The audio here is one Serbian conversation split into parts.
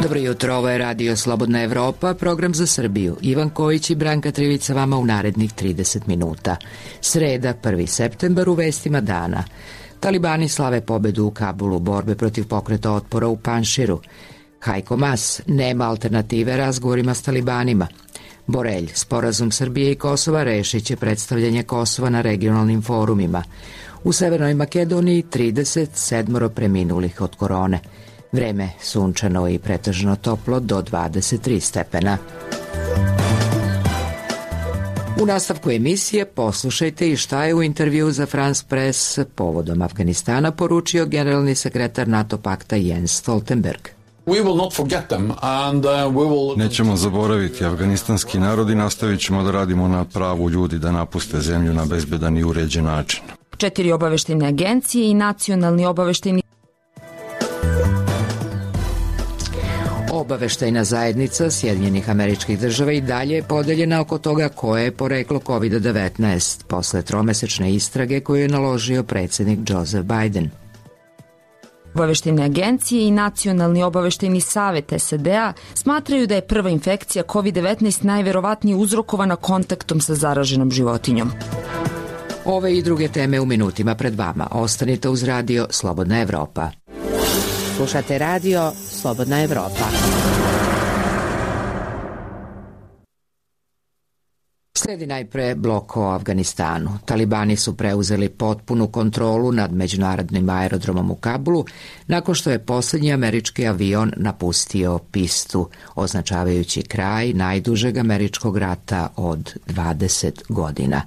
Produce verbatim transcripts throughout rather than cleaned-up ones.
Dobro jutro, ovo je Radio Slobodna Evropa, program za Srbiju. Ivan Kojić i Branka Trivica vama u narednih trideset minuta. Sreda, prvi septembar, u vestima dana. Talibani slave pobedu u Kabulu, borbe protiv pokreta otpora u Panširu. Hajko Mas, nema alternative razgovorima s talibanima. Borelj, sporazum Srbije i Kosova rešit će predstavljanje Kosova na regionalnim forumima. U Severnoj Makedoniji trideset sedam preminulih od korone. Vreme sunčano i pretežno toplo do dvadeset tri stepena. U nastavku emisije poslušajte i šta je u intervju za France Press povodom Afganistana poručio generalni sekretar NATO pakta Jens Stoltenberg. Nećemo zaboraviti afganistanski narod i nastavit ćemo da radimo na pravu ljudi da napuste zemlju na bezbedan i uređen način. Četiri obaveštene agencije i nacionalni obavešteni Obaveštajna zajednica Sjedinjenih Američkih Država i dalje je podeljena oko toga koje je poreklo kovid devetnaest posle tromesečne istrage koju je naložio predsjednik Joseph Biden. Obaveštene agencije i Nacionalni obaveštajni savet S A D-a smatraju da je prva infekcija kovid devetnaest najverovatnije uzrokovana kontaktom sa zaraženom životinjom. Ove i druge teme u minutima pred vama. Ostanite uz Radio Slobodna Evropa. Slušate Radio Slobodna Evropa. Sledi najpre blok o Afganistanu. Talibani su preuzeli potpunu kontrolu nad međunarodnim aerodromom u Kabulu nakon što je posljednji američki avion napustio pistu, označavajući kraj najdužeg američkog rata od dvadeset godina.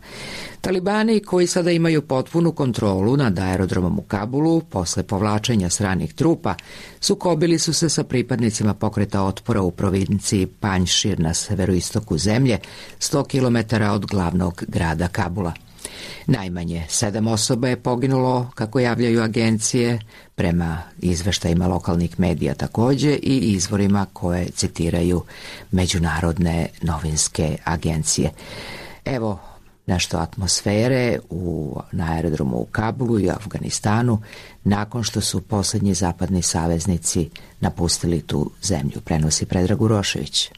Talibani, koji sada imaju potpunu kontrolu nad aerodromom u Kabulu, posle povlačenja stranih trupa, sukobili su se sa pripadnicima pokreta otpora u provinciji Panšir na severoistoku zemlje, sto kilometara od glavnog grada Kabula. Najmanje sedam osoba je poginulo, kako javljaju agencije, prema izveštajima lokalnih medija takođe i izvorima koje citiraju međunarodne novinske agencije. Evo nešto atmosfere u, na aerodromu u Kabulu i Afganistanu nakon što su posljednji zapadni saveznici napustili tu zemlju, prenosi Predrag Urošević.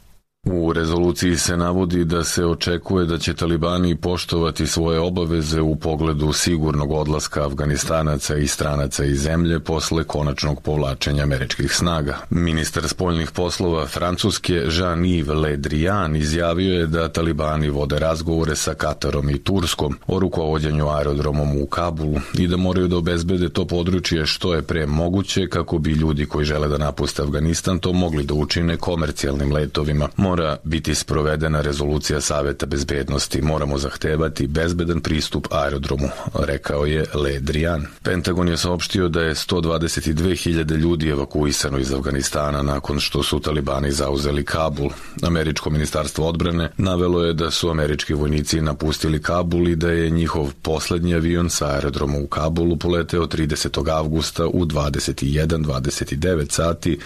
U rezoluciji se navodi da se očekuje da će talibani poštovati svoje obaveze u pogledu sigurnog odlaska Afganistanaca i stranaca iz zemlje posle konačnog povlačenja američkih snaga. Ministar spoljnih poslova Francuske Jean-Yves Le Drian izjavio je da talibani vode razgovore sa Katarom i Turskom o rukovođenju aerodromom u Kabulu i da moraju da obezbede to područje što je pre moguće kako bi ljudi koji žele da napuste Afganistan to mogli da učine komercijalnim letovima. Mora biti sprovedena rezolucija Saveta bezbednosti. Moramo zahtevati bezbedan pristup aerodromu, rekao je Le Drian. Pentagon je saopštio da je sto dvadeset dve hiljade ljudi evakuisano iz Afganistana nakon što su talibani zauzeli Kabul. Američko ministarstvo odbrane navelo je da su američki vojnici napustili Kabul i da je njihov poslednji avion sa aerodroma u Kabulu poleteo tridesetog avgusta u dvadeset jedan dvadeset devet sati,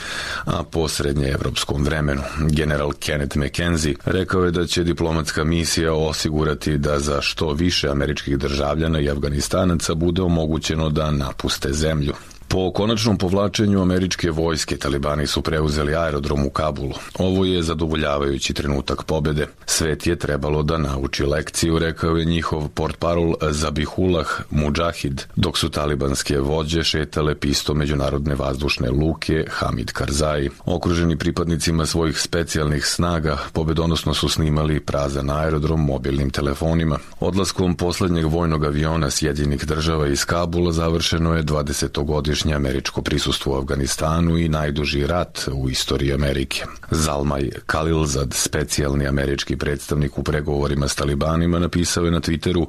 a po srednjeevropskom vremenu. General Kenneth McKenzie rekao je da će diplomatska misija osigurati da za što više američkih državljana i Afganistanaca bude omogućeno da napuste zemlju. Po konačnom povlačenju američke vojske, talibani su preuzeli aerodrom u Kabulu. Ovo je zadovoljavajući trenutak pobede. Svet je trebalo da nauči lekciju, rekao je njihov portparol Zabihullah Mudžahid, dok su talibanske vođe šetale pistom međunarodne vazdušne luke Hamid Karzai. Okruženi pripadnicima svojih specijalnih snaga, pobedonosno su snimali prazan aerodrom mobilnim telefonima. Odlaskom poslednjeg vojnog aviona Sjedinjenih Država iz Kabula završeno je dvadesetogodišnje američko prisustvo u Afganistanu i najduži rat u istoriji Amerike. Zalmaj Khalilzad, specijalni američki predstavnik u pregovorima s talibanima, napisao je na Twitteru: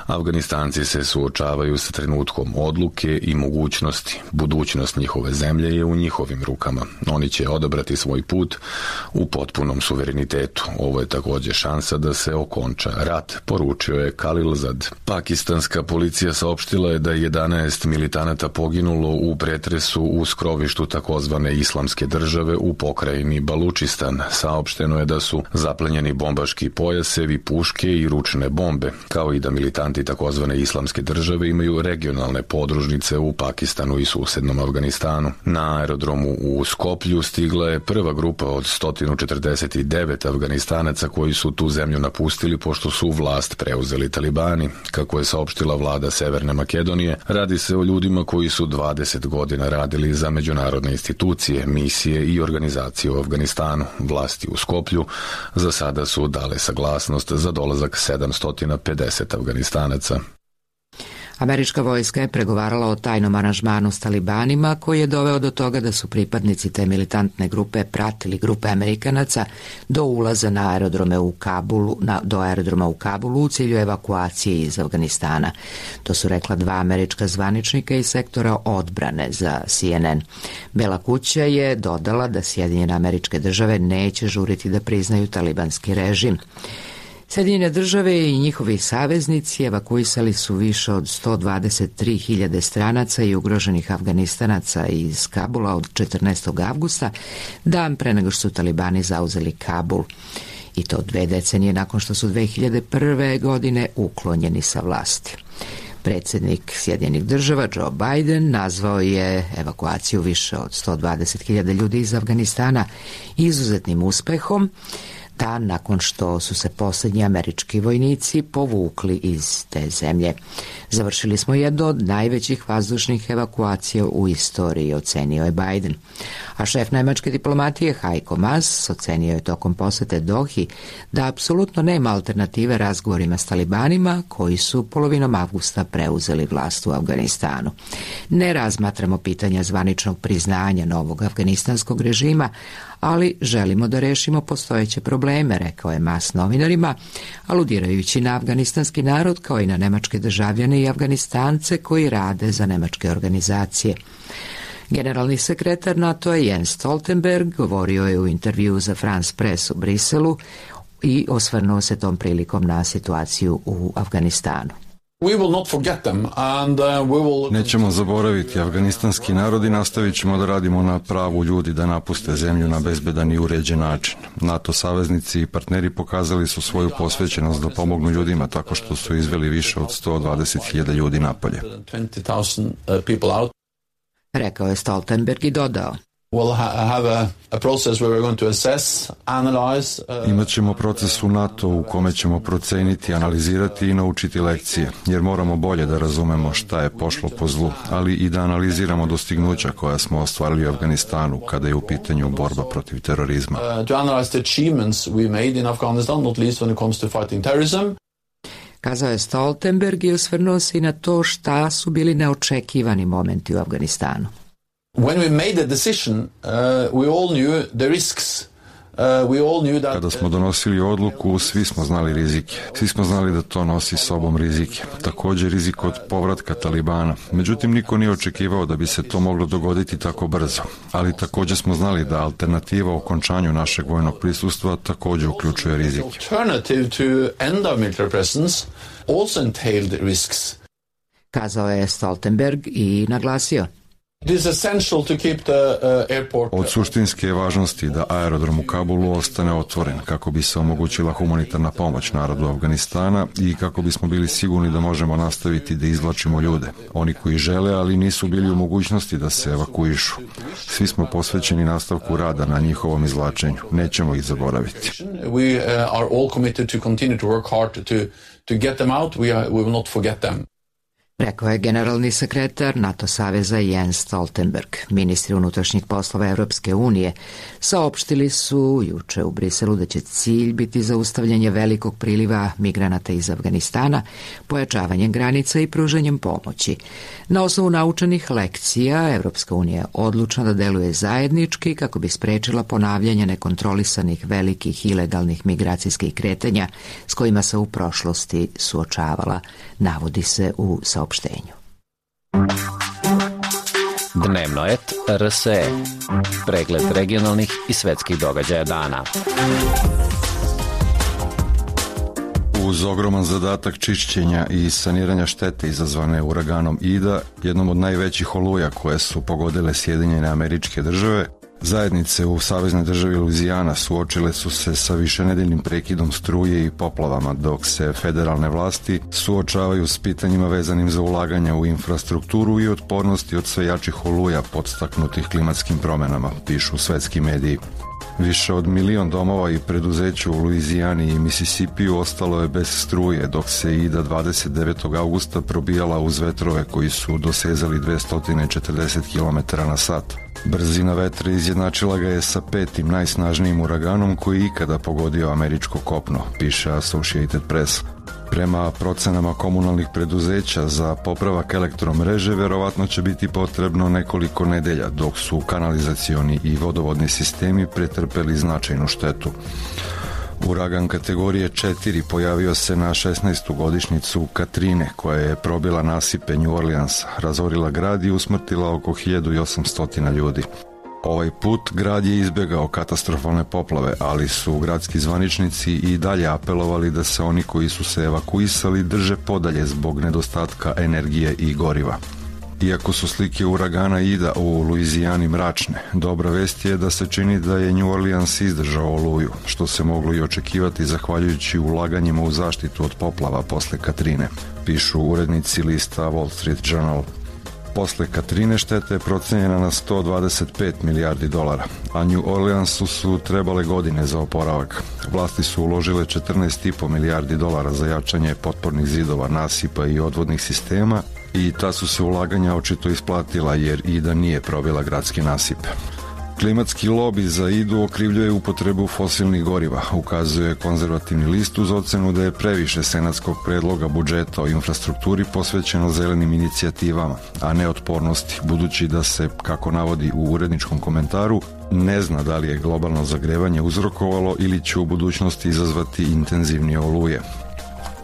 Afganistanci se suočavaju sa trenutkom odluke i mogućnosti. Budućnost njihove zemlje je u njihovim rukama. Oni će odabrati svoj put u potpunom suverenitetu. Ovo je takođe šansa da se okonča rat, poručio je Khalilzad. Pakistanska policija saopštila je da je jedanaest militanata poginulo u pretresu u skrovištu takozvane islamske države u pokrajini Balučistan. Saopšteno je da su zaplenjeni bombaški pojasevi, puške i ručne bombe, kao i da militanti takozvane islamske države imaju regionalne podružnice u Pakistanu i susednom Afganistanu. Na aerodromu u Skoplju stigla je prva grupa od sto četrdeset devet Afganistanaca koji su tu zemlju napustili pošto su vlast preuzeli talibani. Kako je saopštila vlada Severne Makedonije, radi se o ljudima koji su dvadeset godina radili za međunarodne institucije, misije i organizacije u Afganistanu. Vlasti u Skoplju za sada su dale saglasnost za dolazak sedamsto pedeset Afganistanaca. Američka vojska je pregovarala o tajnom aranžmanu s talibanima koji je doveo do toga da su pripadnici te militantne grupe pratili grupe Amerikanaca do ulaza na aerodrome u Kabulu, na, do aerodroma u Kabulu u cilju evakuacije iz Afganistana. To su rekla dva američka zvaničnika iz sektora odbrane za C N N. Bela kuća je dodala da Sjedinjene Američke Države neće žuriti da priznaju talibanski režim. Sjedinjene Države i njihovi saveznici evakuisali su više od sto dvadeset tri hiljade stranaca i ugroženih Afganistanaca iz Kabula od četrnaestog avgusta, dan pre nego što su talibani zauzeli Kabul. I to dve decenije nakon što su dve hiljade prve. godine uklonjeni sa vlasti. Predsjednik Sjedinjenih Država Joe Biden nazvao je evakuaciju više od sto dvadeset hiljada ljudi iz Afganistana izuzetnim uspehom, dan nakon što su se posljednji američki vojnici povukli iz te zemlje. Završili smo jednu od najvećih vazdušnih evakuacija u istoriji, ocenio je Biden. A šef nemačke diplomatije Heiko Maas ocenio je tokom posete Dohi da apsolutno nema alternative razgovorima s talibanima koji su polovinom avgusta preuzeli vlast u Afganistanu. Ne razmatramo pitanja zvaničnog priznanja novog afganistanskog režima, ali želimo da rešimo postojeće probleme, rekao je Maas novinarima, aludirajući na afganistanski narod kao i na nemačke državljane i Afganistance koji rade za nemačke organizacije. Generalni sekretar NATO-a Jens Stoltenberg govorio je u intervjuu za France Press u Briselu i osvrnuo se tom prilikom na situaciju u Afganistanu. Nećemo zaboraviti afganistanski narod i nastavit ćemo da radimo na pravu ljudi da napuste zemlju na bezbedan i uređen način. NATO saveznici i partneri pokazali su svoju posvećenost da pomognu ljudima tako što su izveli više od sto dvadeset hiljada ljudi napolje. Rekao je Stoltenberg i dodao: Imat ćemo proces u NATO u kome ćemo proceniti, analizirati i naučiti lekcije, jer moramo bolje da razumemo šta je pošlo po zlu, ali i da analiziramo dostignuća koja smo ostvarili u Afganistanu kada je u pitanju borba protiv terorizma. Kazao je Stoltenberg i osvrnuo se i na to šta su bili neočekivani momenti u Afganistanu. When we made the decision, uh, we all knew the risks. Uh, we all knew that... Kada smo donosili odluku, svi smo znali rizike. Svi smo znali da to nosi sobom rizike. Također rizik od povratka talibana. Međutim, niko nije očekivao da bi se to moglo dogoditi tako brzo. Ali također smo znali da alternativa okončanju našeg vojnog prisustva također uključuje rizike. Alternative to end of military presence also entailed risks. Kazao je Stoltenberg i naglasio: Od suštinske važnosti da aerodrom u Kabulu ostane otvoren kako bi se omogućila humanitarna pomoć narodu Afganistana i kako bismo bili sigurni da možemo nastaviti da izvlačimo ljude. Oni koji žele, ali nisu bili u mogućnosti da se evakuišu. Svi smo posvećeni nastavku rada na njihovom izvlačenju. Nećemo ih zaboraviti. We are all committed to continue to work hard to to get them out. We are, we will not forget them. Rekao je generalni sekretar NATO saveza Jens Stoltenberg. Ministri unutrašnjih poslova Evropske unije saopštili su juče u Briselu da će cilj biti zaustavljanje velikog priliva migranata iz Afganistana, pojačavanjem granica i pružanjem pomoći. Na osnovu naučenih lekcija, Evropska unija je odlučna da deluje zajednički kako bi sprečila ponavljanje nekontrolisanih velikih ilegalnih migracijskih kretanja s kojima se u prošlosti suočavala, navodi se u saopštenju. Dnevno et R S E. Pregled regionalnih i svetskih događaja dana. Uz ogroman zadatak čišćenja i saniranja štete izazvane uraganom Ida, jednom od najvećih oluja koje su pogodile Sjedinjene Američke Države, zajednice u saveznoj državi Luizijana suočile su se sa višenedeljnim prekidom struje i poplavama, dok se federalne vlasti suočavaju s pitanjima vezanim za ulaganja u infrastrukturu i otpornosti od sve jačih oluja podstaknutih klimatskim promenama, pišu svetski mediji. Više od milion domova i preduzeća u Luizijani i Misisipiju ostalo je bez struje, dok se Ida dvadeset devetog augusta probijala uz vetrove koji su dosezali dvesta četrdeset kilometara na sat. Brzina vetra izjednačila ga je sa petim najsnažnijim uraganom koji je ikada pogodio američko kopno, piše Associated Press. Prema procenama komunalnih preduzeća za popravak elektromreže verovatno će biti potrebno nekoliko nedelja, dok su kanalizacioni i vodovodni sistemi pretrpeli značajnu štetu. Uragan kategorije četiri pojavio se na šesnaestu godišnjicu Katrine, koja je probila nasipe New Orleansa, razorila grad i usmrtila oko hiljadu osamsto ljudi. Ovaj put grad je izbegao katastrofalne poplave, ali su gradski zvaničnici i dalje apelovali da se oni koji su se evakuisali drže podalje zbog nedostatka energije i goriva. Iako su slike uragana Ida u Luizijani mračne, dobra vest je da se čini da je New Orleans izdržao oluju, što se moglo i očekivati zahvaljujući ulaganjima u zaštitu od poplava posle Katrine, pišu urednici lista Wall Street Journal. Posle Katrine šteta je procenjena na sto dvadeset pet milijardi dolara, a New Orleansu su trebale godine za oporavak. Vlasti su uložile četrnaest i po milijardi dolara za jačanje potpornih zidova, nasipa i odvodnih sistema i ta su se ulaganja očito isplatila jer Ida nije probila gradski nasip. Klimatski lobi za Idu okrivljuje upotrebu fosilnih goriva, ukazuje konzervativni list uz ocenu da je previše senatskog predloga budžeta o infrastrukturi posvećeno zelenim inicijativama, a ne otpornosti, budući da se, kako navodi u uredničkom komentaru, ne zna da li je globalno zagrevanje uzrokovalo ili će u budućnosti izazvati intenzivnije oluje.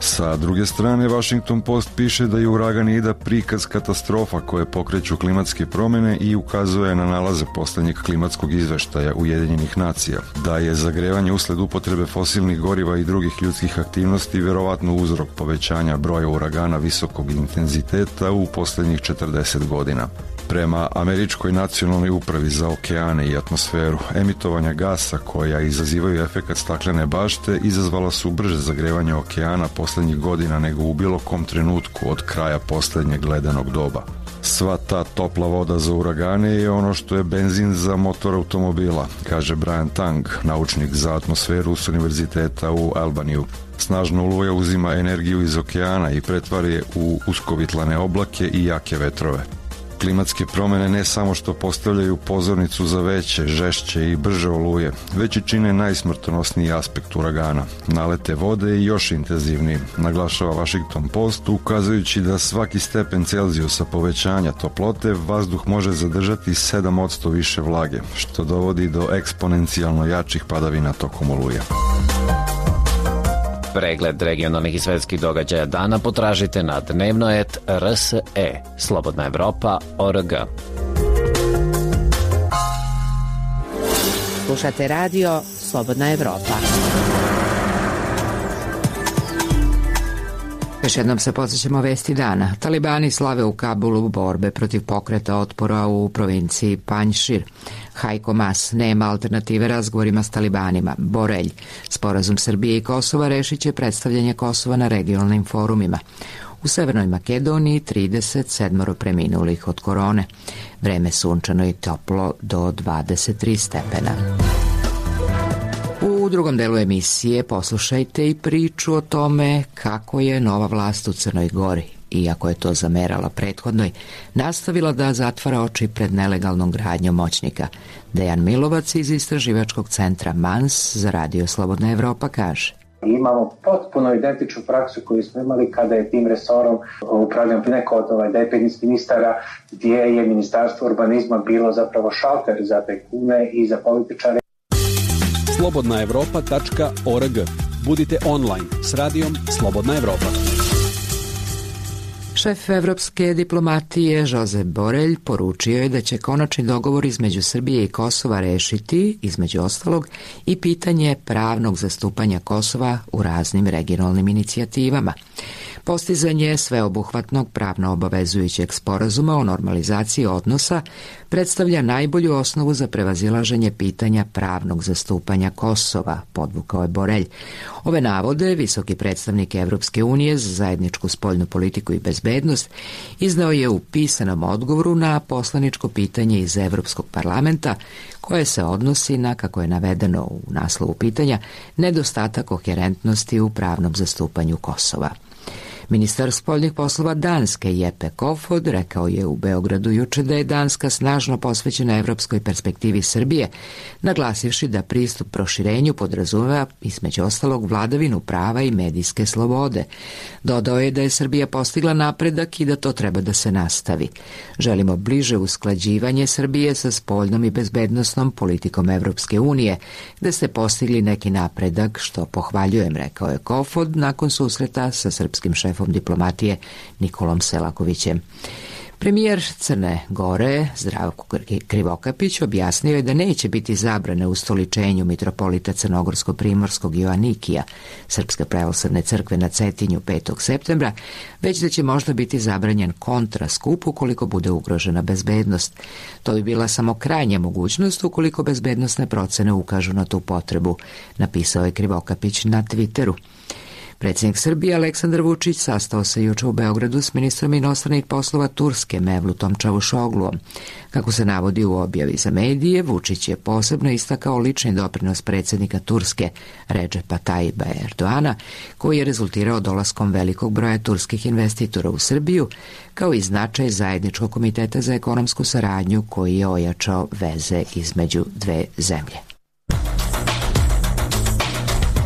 Sa druge strane, Washington Post piše da je uragan Ida prikaz katastrofa koje pokreću klimatske promene i ukazuje na nalaze poslednjeg klimatskog izveštaja Ujedinjenih nacija, da je zagrevanje usled upotrebe fosilnih goriva i drugih ljudskih aktivnosti verovatno uzrok povećanja broja uragana visokog intenziteta u poslednjih četrdeset godina. Prema Američkoj nacionalnoj upravi za okeane i atmosferu, emitovanja gasa koja izazivaju efekat staklene bašte izazvala su brže zagrevanje okeana poslednjih godina nego u bilo kom trenutku od kraja poslednjeg ledenog doba. Sva ta topla voda za uragane je ono što je benzin za motor automobila, kaže Brian Tang, naučnik za atmosferu s univerziteta u Albaniju. Snažna oluja uzima energiju iz okeana i pretvara je u uskovitlane oblake i jake vetrove. Klimatske promene ne samo što postavljaju pozornicu za veće, žešće i brže oluje, već i čine najsmrtonosniji aspekt uragana. Nalete vode je još intenzivniji, naglašava Washington Post, ukazujući da svaki stepen Celzijusa povećanja toplote vazduh može zadržati sedam posto više vlage, što dovodi do eksponencijalno jačih padavina tokom oluje. Pregled regionalnih i svetskih događaja dana potražite na dnevnoet R S E, Slobodna Evropa, O R G. Slušate radio Slobodna Evropa. Još jednom se podsjećamo vesti dana. Talibani slave u Kabulu borbe protiv pokreta otpora u provinciji Panjšir. Hajko Mas, nema alternative razgovorima s talibanima. Borelj, sporazum Srbije i Kosova rešit će predstavljanje Kosova na regionalnim forumima. U Severnoj Makedoniji trideset sedam preminulih od korone. Vreme sunčano i toplo do dvadeset tri stepena. U drugom delu emisije poslušajte i priču o tome kako je nova vlast u Crnoj Gori, iako je to zamerala prethodnoj, nastavila da zatvara oči pred nelegalnom gradnjom moćnika. Dejan Milovac iz istraživačkog centra Mans za radio Slobodna Evropa kaže: Imamo potpuno identičnu praksu koju smo imali kada je tim resorom upravljao neko od ovaj dependentskih ministara, gdje je ministarstvo urbanizma bilo zapravo šalter za tajkune i za političare. slobodna evropa tačka org. Budite online s radijom Slobodna Evropa. Šef evropske diplomatije Josep Borrell poručio je da će konačni dogovor između Srbije i Kosova rešiti, između ostalog, i pitanje pravnog zastupanja Kosova u raznim regionalnim inicijativama. Postizanje sveobuhvatnog pravno obavezujućeg sporazuma o normalizaciji odnosa predstavlja najbolju osnovu za prevazilaženje pitanja pravnog zastupanja Kosova, podvukao je Borrell. Ove navode visoki predstavnik Evropske unije za zajedničku spoljnu politiku i bezbednost izneo je u pisanom odgovoru na poslaničko pitanje iz Evropskog parlamenta koje se odnosi na, kako je navedeno u naslovu pitanja, nedostatak koherentnosti u pravnom zastupanju Kosova. Ministar spoljnih poslova Danske Jeppe Kofod rekao je u Beogradu juče da je Danska snažno posvećena evropskoj perspektivi Srbije, naglasivši da pristup proširenju podrazumeva između ostalog vladavinu prava i medijske slobode. Dodao je da je Srbija postigla napredak i da to treba da se nastavi. Želimo bliže usklađivanje Srbije sa spoljnom i bezbednosnom politikom Evropske unije, gde ste postigli neki napredak, što pohvaljujem, rekao je Kofod nakon susreta sa srpskim šefom diplomatije Nikolom Selakovićem. Premijer Crne Gore Zdravko Krivokapić objasnio je da neće biti zabrane u ustoličenju mitropolita Crnogorsko-Primorskog Joanikija Srpske pravoslavne crkve na Cetinju petog septembra, već da će možda biti zabranjen kontraskup ukoliko bude ugrožena bezbednost. To bi bila samo krajnja mogućnost ukoliko bezbednosne procene ukažu na tu potrebu, napisao je Krivokapić na Twitteru. Predsjednik Srbije Aleksandar Vučić sastao se juče u Beogradu s ministrom inostranih poslova Turske Mevlutom Čavuşogluom. Kako se navodi u objavi za medije, Vučić je posebno istakao lični doprinos predsjednika Turske Redžepa Tajiba Erdoana, koji je rezultirao dolaskom velikog broja turskih investitora u Srbiju, kao i značaj zajedničkog komiteta za ekonomsku saradnju koji je ojačao veze između dve zemlje.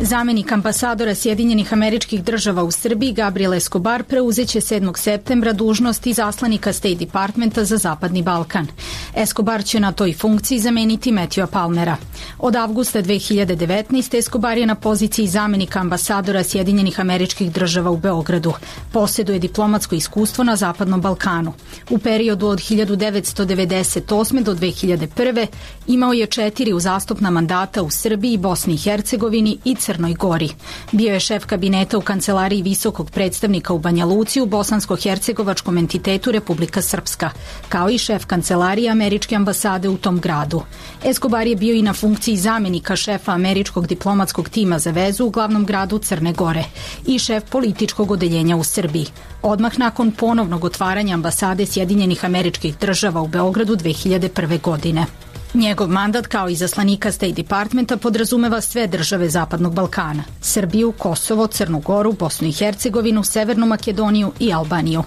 Zamenik ambasadora Sjedinjenih Američkih Država u Srbiji Gabriel Escobar preuzeće sedmog septembra dužnost izaslanika State Departmenta za Zapadni Balkan. Escobar će na toj funkciji zameniti Matthewa Palmera. Od avgusta dve hiljade devetnaeste. Escobar je na poziciji zamenika ambasadora Sjedinjenih Američkih Država u Beogradu. Posjeduje diplomatsko iskustvo na Zapadnom Balkanu. U periodu od hiljadu devetsto devedeset osme. do dve hiljade prve. imao je četiri uzastopna mandata u Srbiji, Bosni i Hercegovini i Crnoj Gori. Bio je šef kabineta u kancelariji visokog predstavnika u Banja Luci u bosansko-hercegovačkom entitetu Republika Srpska, kao i šef kancelarije američke ambasade u tom gradu. Escobar je bio i na funkciji zamenika šefa američkog diplomatskog tima za vezu u glavnom gradu Crne Gore i šef političkog odeljenja u Srbiji. Odmah nakon ponovnog otvaranja ambasade Sjedinjenih Američkih Država u Beogradu dve hiljade prve. godine. Njegov mandat kao izaslanika State Departmenta podrazumeva sve države Zapadnog Balkana, Srbiju, Kosovo, Crnu Goru, Bosnu i Hercegovinu, Severnu Makedoniju i Albaniju.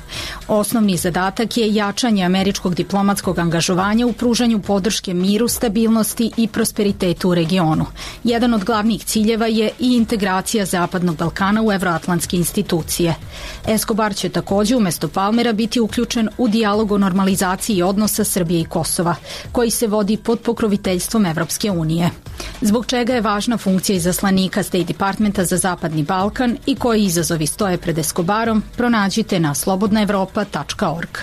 Osnovni zadatak je jačanje američkog diplomatskog angažovanja u pružanju podrške miru, stabilnosti i prosperitetu u regionu. Jedan od glavnih ciljeva je i integracija Zapadnog Balkana u evroatlantske institucije. Escobar će također umjesto Palmera biti uključen u dijalog o normalizaciji odnosa Srbije i Kosova, koji se vodi pod pokroviteljstvom Evropske unije. Zbog čega je važna funkcija izaslanika State Departmenta za Zapadni Balkan i koji izazovi stoje pred Escobarom, pronađite na slobodna evropa tačka org.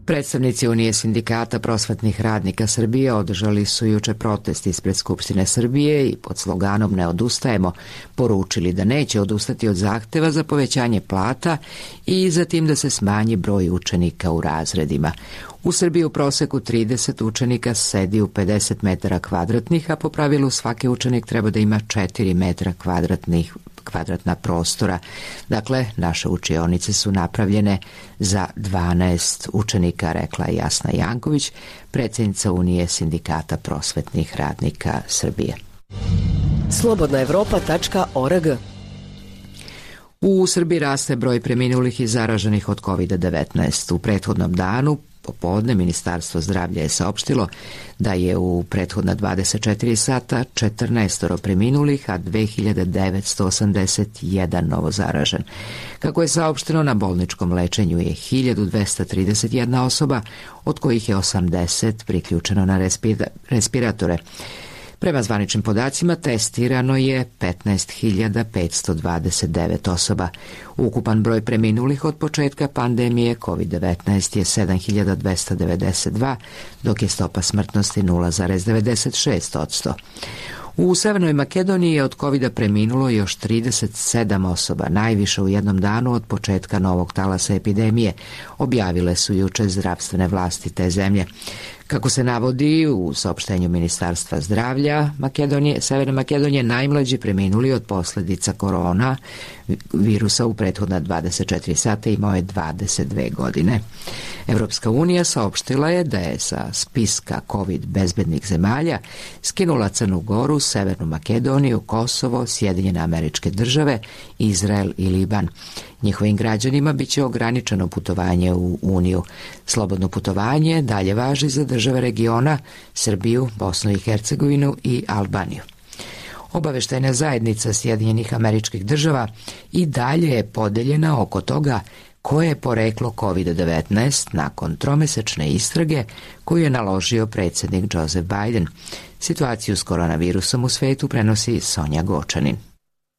Predstavnici Unije sindikata prosvetnih radnika Srbije održali su juče protest ispred Skupštine Srbije i pod sloganom Ne odustajemo poručili da neće odustati od zahteva za povećanje plata i zatim da se smanji broj učenika u razredima. U Srbiji u proseku trideset učenika sedi u pedeset metara kvadratnih, a po pravilu svaki učenik treba da ima četiri metra kvadratnih kvadratna prostora. Dakle, naše učionice su napravljene za dvanaest učenika, rekla je Jasna Janković, predsjednica Unije sindikata prosvetnih radnika Srbije. slobodna evropa tačka org. U Srbiji raste broj preminulih i zaraženih od kovid devetnaest. U prethodnom danu popodne Ministarstvo zdravlja je saopštilo da je u prethodna dvadeset četiri sata četrnaestoro preminulih, a dve hiljade devetsto osamdeset jedan novo zaražen. Kako je saopšteno, na bolničkom lečenju je hiljadu dvesta trideset jedna osoba, od kojih je osamdeset priključeno na respiratore. Prema zvaničnim podacima testirano je petnaest hiljada petsto dvadeset devet osoba. Ukupan broj preminulih od početka pandemije kovid devetnaest je sedam hiljada dvesta devedeset dva, dok je stopa smrtnosti nula zarez devedeset šest posto. U Severnoj Makedoniji je od kovida preminulo još trideset sedam osoba, najviše u jednom danu od početka novog talasa epidemije, objavile su juče zdravstvene vlasti te zemlje. Kako se navodi u saopštenju Ministarstva zdravlja Makedonije, Severne Makedonije, najmlađi preminuli od posljedica korona virusa u prethodna dvadeset četiri sata imao je dvadeset dve godine. Evropska unija saopštila je da je sa spiska COVID bezbednih zemalja skinula Crnu Goru, Severnu Makedoniju, Kosovo, Sjedinjene Američke Države, Izrael i Liban. Njihovim građanima biće ograničeno putovanje u Uniju. Slobodno putovanje dalje važi za države regiona, Srbiju, Bosnu i Hercegovinu i Albaniju. Obaveštajna zajednica Sjedinjenih Američkih Država i dalje je podeljena oko toga koje je poreklo kovid devetnaest nakon tromesečne istrage koju je naložio predsjednik Joseph Biden. Situaciju s koronavirusom u svetu prenosi Sonja Gočanin.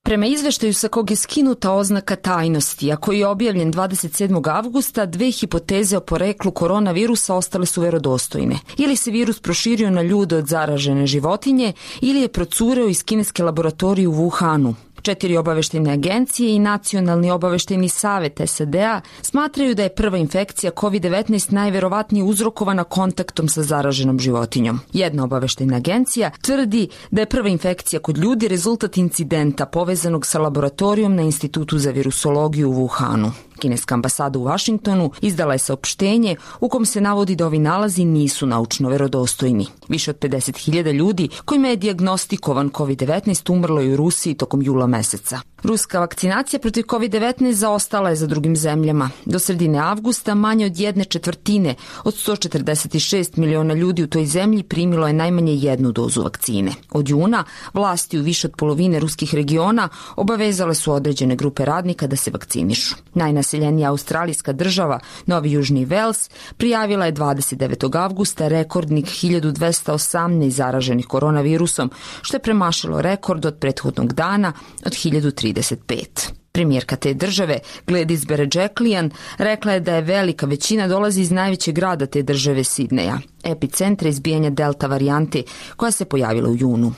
Prema izveštaju sa kog je skinuta oznaka tajnosti, a koji je objavljen dvadeset sedmog avgusta, dve hipoteze o poreklu koronavirusa ostale su verodostojne. Ili se virus proširio na ljude od zaražene životinje, ili je procureo iz kineske laboratorije u Wuhanu. Četiri obaveštene agencije i Nacionalni obavešteni savet S A D-a smatraju da je prva infekcija kovid devetnaest najverovatnije uzrokovana kontaktom sa zaraženom životinjom. Jedna obaveštena agencija tvrdi da je prva infekcija kod ljudi rezultat incidenta povezanog sa laboratorijom na Institutu za virusologiju u Wuhanu. Kineska ambasada u Vašingtonu izdala je saopštenje u kom se navodi da ovi nalazi nisu naučno verodostojni. Više od pedeset hiljada ljudi kojima je dijagnostikovan kovid devetnaest umrlo je u Rusiji tokom jula meseca. Ruska vakcinacija protiv kovid devetnaest zaostala je za drugim zemljama. Do sredine avgusta manje od jedne četvrtine od sto četrdeset šest miliona ljudi u toj zemlji primilo je najmanje jednu dozu vakcine. Od juna vlasti u više od polovine ruskih regiona obavezale su određene grupe radnika da se vakcinišu. Najnaseljenija australijska država, Novi Južni Vels, prijavila je dvadeset devetog avgusta rekordnih hiljadu dvesta osamnaest zaraženih koronavirusom, što je premašilo rekord od prethodnog dana od hiljadu trideset pet. Premijerka te države, Gladys Berejiklian, rekla je da je velika većina dolazi iz najvećeg grada te države, Sidneja, epicentra izbijanja delta varijante koja se pojavila u junu.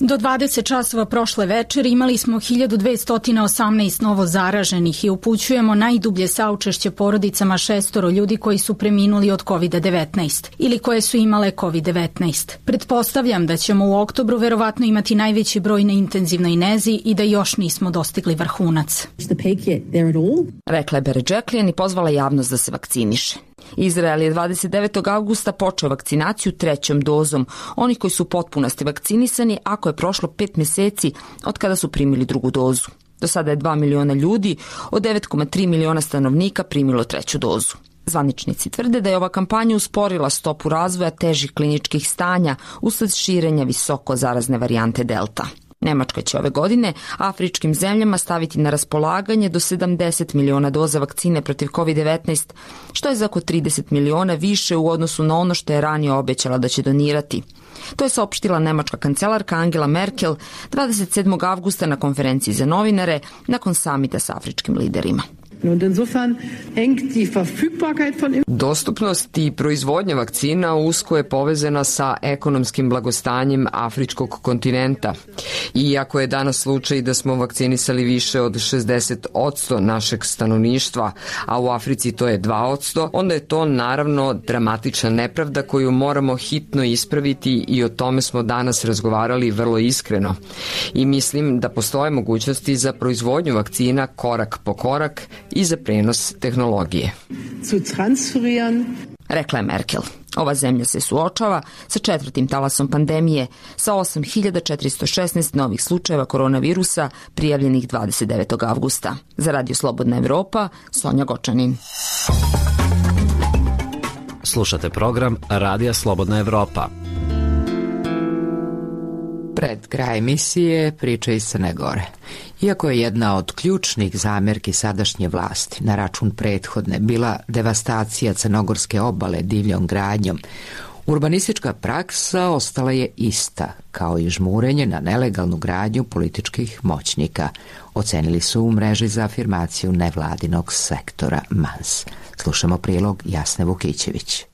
Do dvadeset časova prošle večeri imali smo hiljadu dvesta osamnaest novo zaraženih i upućujemo najdublje saučešće porodicama šestoro ljudi koji su preminuli od kovid devetnaest ili koje su imale kovid devetnaest. Pretpostavljam da ćemo u oktobru verovatno imati najveći broj na intenzivnoj nezi i da još nismo dostigli vrhunac. Rekla je Berejiklian i pozvala javnost da se vakciniše. Izrael je dvadeset devetog avgusta počeo vakcinaciju trećom dozom onih koji su potpunosti vakcinisani ako je prošlo pet meseci od kada su primili drugu dozu. Do sada je dva miliona ljudi od devet zarez tri miliona stanovnika primilo treću dozu. Zvaničnici tvrde da je ova kampanja usporila stopu razvoja težih kliničkih stanja usled širenja visoko zarazne varijante delta. Nemačka će ove godine afričkim zemljama staviti na raspolaganje do sedamdeset miliona doza vakcine protiv kovid devetnaest, što je za oko trideset miliona više u odnosu na ono što je ranije obećala da će donirati. To je saopštila nemačka kancelarka Angela Merkel dvadeset sedmog avgusta na konferenciji za novinare nakon samita s afričkim liderima. Dostupnost i proizvodnja vakcina usko je povezana sa ekonomskim blagostanjem afričkog kontinenta. Iako je danas slučaj da smo vakcinisali više od šezdeset posto našeg stanovništva, a u Africi to je dva posto, onda je to naravno dramatična nepravda koju moramo hitno ispraviti i o tome smo danas razgovarali vrlo iskreno. I mislim da postoje mogućnosti za proizvodnju vakcina korak po korak i za prenos tehnologije. Rekla je Merkel. Ova zemlja se suočava sa četvrtim talasom pandemije, sa osam hiljada četiristo šesnaest novih slučajeva koronavirusa prijavljenih dvadeset devetog avgusta. Za Radio Slobodna Evropa, Sonja Gočanin. Slušate program Radija Slobodna Evropa. Pred kraj emisije priča iz Crne Gore. Iako je jedna od ključnih zamerki sadašnje vlasti na račun prethodne bila devastacija crnogorske obale divljom gradnjom, Urbanistička praksa ostala je ista, kao i žmurenje na nelegalnu gradnju političkih moćnika, ocenili su u mreži za afirmaciju nevladinog sektora M A N S. Slušamo prilog Jasne Vukićević.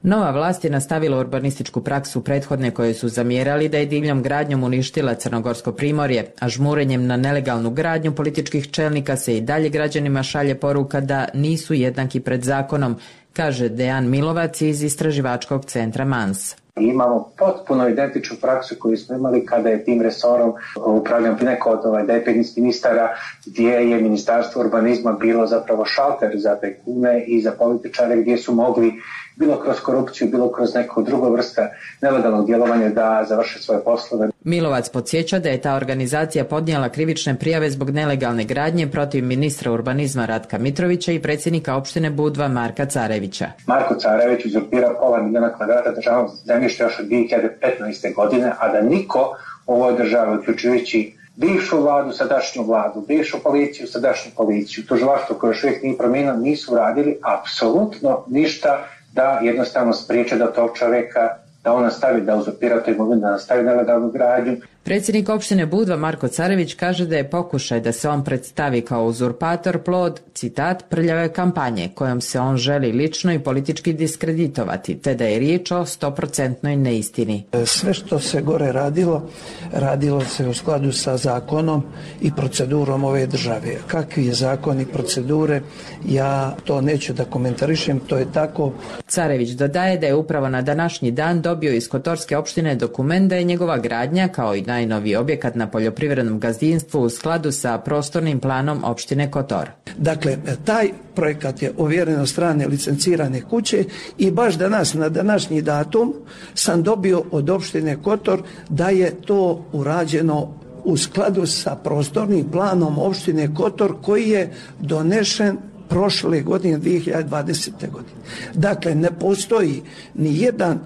Nova vlast je nastavila urbanističku praksu prethodne koje su zamjerali da je divljom gradnjom uništila Crnogorsko primorje, a žmurenjem na nelegalnu gradnju političkih čelnika se i dalje građanima šalje poruka da nisu jednaki pred zakonom, kaže Dejan Milovac iz istraživačkog centra M A N S. Imamo potpuno identičnu praksu koju smo imali kada je tim resorom upravljao neko od ovaj devetnaest ministara, gdje je Ministarstvo urbanizma bilo zapravo šalter za tajkune i za političare, gdje su mogli bilo kroz korupciju, bilo kroz neku drugu vrsta nelegalnog djelovanja da završe svoje poslove. Milovac podsjeća da je ta organizacija podnijela krivične prijave zbog nelegalne gradnje protiv ministra urbanizma Ratka Mitrovića i predsjednika opštine Budva Marka Carevića. Marko Carević uzurpirao pola milijuna kvadrata državnog zemljišta još od dvije hiljade petnaeste. godine, a da niko u ovoj državi, uključujući bivšu vladu, sadašnju vladu, bivšu policiju, sadašnju policiju, tužilaštvo koje još uvijek nije promijenilo, nisu radili apsolutno ništa da jednostavno spriječe da tog čovjeka, da on nastavi da uzurpira tu imovinu, da nastavi nelegalnu gradnju. Predsjednik opštine Budva Marko Carević kaže da je pokušaj da se on predstavi kao uzurpator plod, citat, prljave kampanje kojom se on želi lično i politički diskreditovati, te da je riječ o stoprocentnoj neistini. Sve što se gore radilo, radilo se u skladu sa zakonom i procedurom ove države. Kakvi je zakon i procedure, ja to neću da komentarišem, to je tako. Carević dodaje da je upravo na današnji dan dobio iz Kotorske opštine dokument da je njegova gradnja, kao i najnoviji objekat na poljoprivrednom gazdinstvu, u skladu sa prostornim planom opštine Kotor. Dakle, taj projekat je ovjeren od strane licencirane kuće i baš danas, na današnji datum, sam dobio od opštine Kotor da je to urađeno u skladu sa prostornim planom opštine Kotor koji je donešen prošle godine, dvije hiljade dvadesete. godine. Dakle, ne postoji ni jedan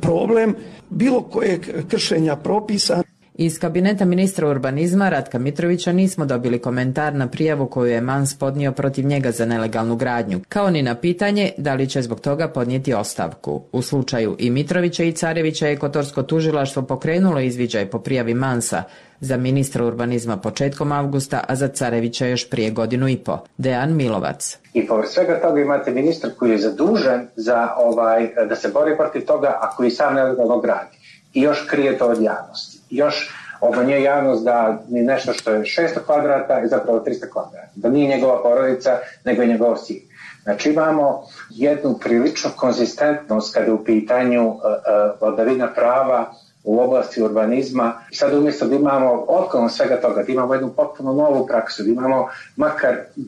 problem bilo kojeg kršenja propisa. Iz kabineta ministra urbanizma Ratka Mitrovića nismo dobili komentar na prijavu koju je M A N S podnio protiv njega za nelegalnu gradnju, kao ni na pitanje da li će zbog toga podnijeti ostavku. U slučaju i Mitrovića i Carevića je Kotorsko tužilaštvo pokrenulo izviđaj po prijavi M A N S-a, za ministra urbanizma početkom avgusta, a za Carevića još prije godinu i po. Dejan Milovac. I povrh svega toga imate ministra koji je zadužen za ovaj, da se bori protiv toga, a koji sam nelegalno gradi. I još krije to od javnosti. Još obmanjuje javnost da ni nešto što je šesto kvadrata je zapravo tristo kvadrata. Da nije njegova porodica, nego je njegov sin. Znači imamo jednu priličnu konzistentnost kada je u pitanju uh, uh, vladavina prava u oblasti urbanizma. I sad umjesto da imamo otklon svega toga, da imamo jednu potpuno novu praksu, da imamo makar uh,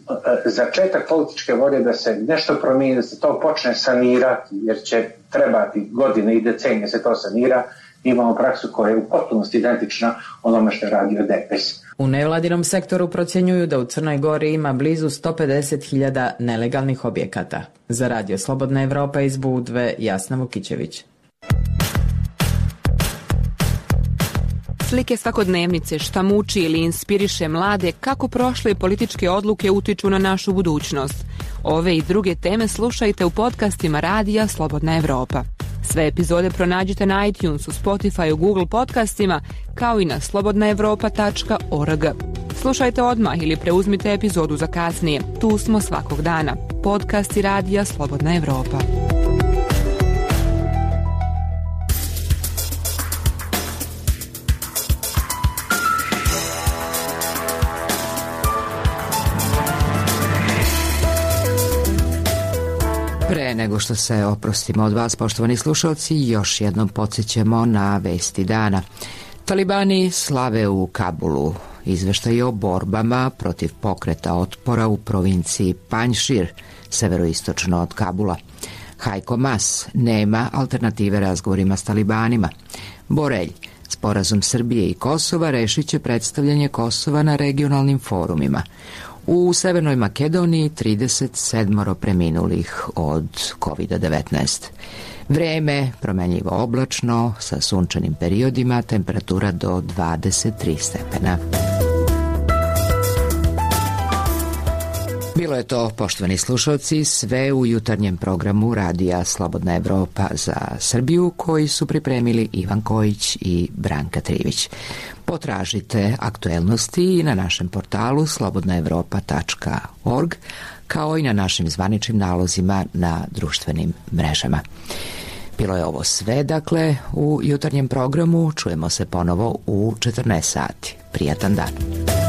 začetak političke volje da se nešto promijeni, da se to počne sanirati, jer će trebati godine i decenije se to sanira, imamo praksu koja je u potpunosti identična onome što je radio D P S. U nevladinom sektoru procjenjuju da u Crnoj Gori ima blizu sto pedeset hiljada nelegalnih objekata. Za Radio Slobodna Evropa iz Budve, Jasna Vukićević. Slike svakodnevnice, šta muči ili inspiriše mlade, kako prošle političke odluke utiču na našu budućnost. Ove i druge teme slušajte u podcastima Radija Slobodna Evropa. Sve epizode pronađite na iTunesu, Spotify, Google podcastima, kao i na slobodna evropa tačka org. Slušajte odmah ili preuzmite epizodu za kasnije. Tu smo svakog dana. Podcasti Radija Slobodna Evropa. Pre nego što se oprostimo od vas, poštovani slušalci, još jednom podsjećamo na vesti dana. Talibani slave u Kabulu. Izveštaj o borbama protiv pokreta otpora u provinciji Panjšir, severoistočno od Kabula. Hajko Mas, nema alternative razgovorima s talibanima. Borelj, sporazum Srbije i Kosova rešit će predstavljanje Kosova na regionalnim forumima. U Severnoj Makedoniji trideset sedam preminulih od kovid devetnaest. Vreme promenljivo oblačno sa sunčanim periodima, temperatura do dvadeset tri stepena. Bilo je to, poštovani slušalci, sve u jutarnjem programu Radija Slobodna Evropa za Srbiju, koji su pripremili Ivan Kojić i Branka Trivić. Potražite aktuelnosti i na našem portalu slobodna evropa tačka org, kao i na našim zvaničnim nalozima na društvenim mrežama. Bilo je ovo sve, dakle, u jutarnjem programu. Čujemo se ponovo u četrnaest sati. Prijatan dan.